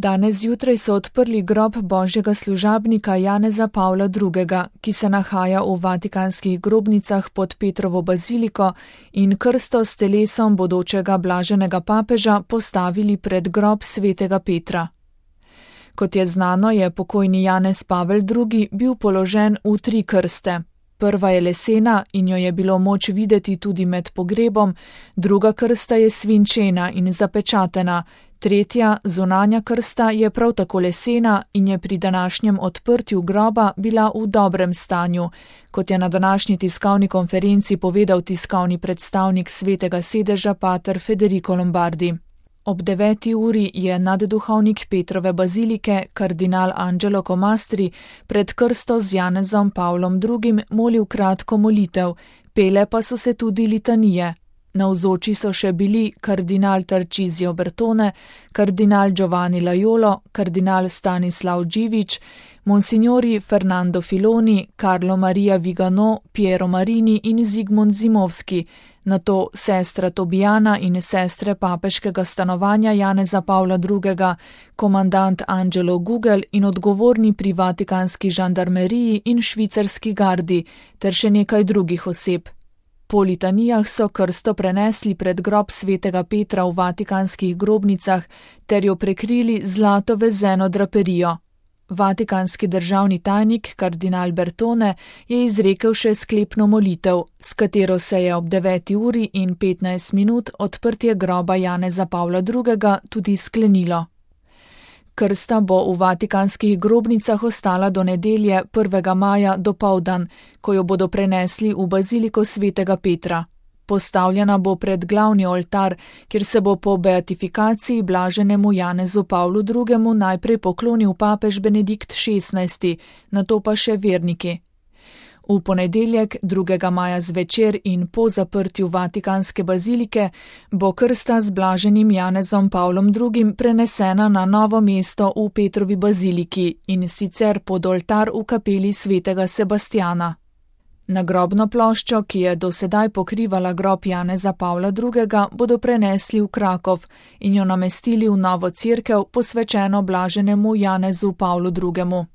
Danes zjutraj so odprli grob božjega služabnika Janeza Pavla II., ki se nahaja v vatikanskih grobnicah pod Petrovo baziliko, in krsto s telesom bodočega blaženega papeža postavili pred grob svetega Petra. Kot je znano, je pokojni Janez Pavel II. Bil položen v 3 krste. Prva je lesena in jo je bilo moč videti tudi med pogrebom, druga krsta je svinčena in zapečatena, tretja, zunanja krsta, je prav tako lesena in je pri današnjem odprtju groba bila v dobrem stanju, kot je na današnji tiskovni konferenci povedal tiskovni predstavnik svetega sedeža pater Federico Lombardi. Ob 9. uri je nadduhovnik Petrove bazilike, kardinal Angelo Comastri, pred krsto z Janezom Pavlom II. Molil kratko molitev, pele pa so se tudi litanije. Navzoči so še bili kardinal Tarcisio Bertone, kardinal Giovanni Laiolo, kardinal Stanislav Dživić, monsignori Fernando Filoni, Carlo Maria Vigano, Piero Marini in Zigmund Zimovski, nato sestra Tobijana in sestre papeškega stanovanja Janeza Pavla II., komandant Angelo Gugel in odgovorni pri vatikanski žandarmeriji in švicarski gardi, ter še nekaj drugih oseb. Po litanijah so krsto prenesli pred grob svetega Petra v vatikanskih grobnicah ter jo prekrili z zlato vezeno draperijo. Vatikanski državni tajnik kardinal Bertone je izrekel še sklepno molitev, s katero se je ob 9. uri in 15 minut odprtje groba Janeza Pavla II. Tudi sklenilo. Krsta bo v vatikanskih grobnicah ostala do nedelje 1. maja dopoldan, ko jo bodo prenesli v baziliko svetega Petra. Postavljena bo pred glavni oltar, kjer se bo po beatifikaciji blaženemu Janezu Pavlu II. Najprej poklonil papež Benedikt XVI., nato pa še verniki. V ponedeljek 2. maja zvečer in po zaprtju vatikanske bazilike bo krsta z blaženim Janezom Pavlom II. Prenesena na novo mesto v Petrovi baziliki, in sicer pod oltar v kapeli svetega Sebastjana. Nagrobno ploščo, ki je do sedaj pokrivala grob Janeza Pavla II., bodo prenesli v Krakov in jo namestili v novo cerkev, posvečeno blaženemu Janezu Pavlu II.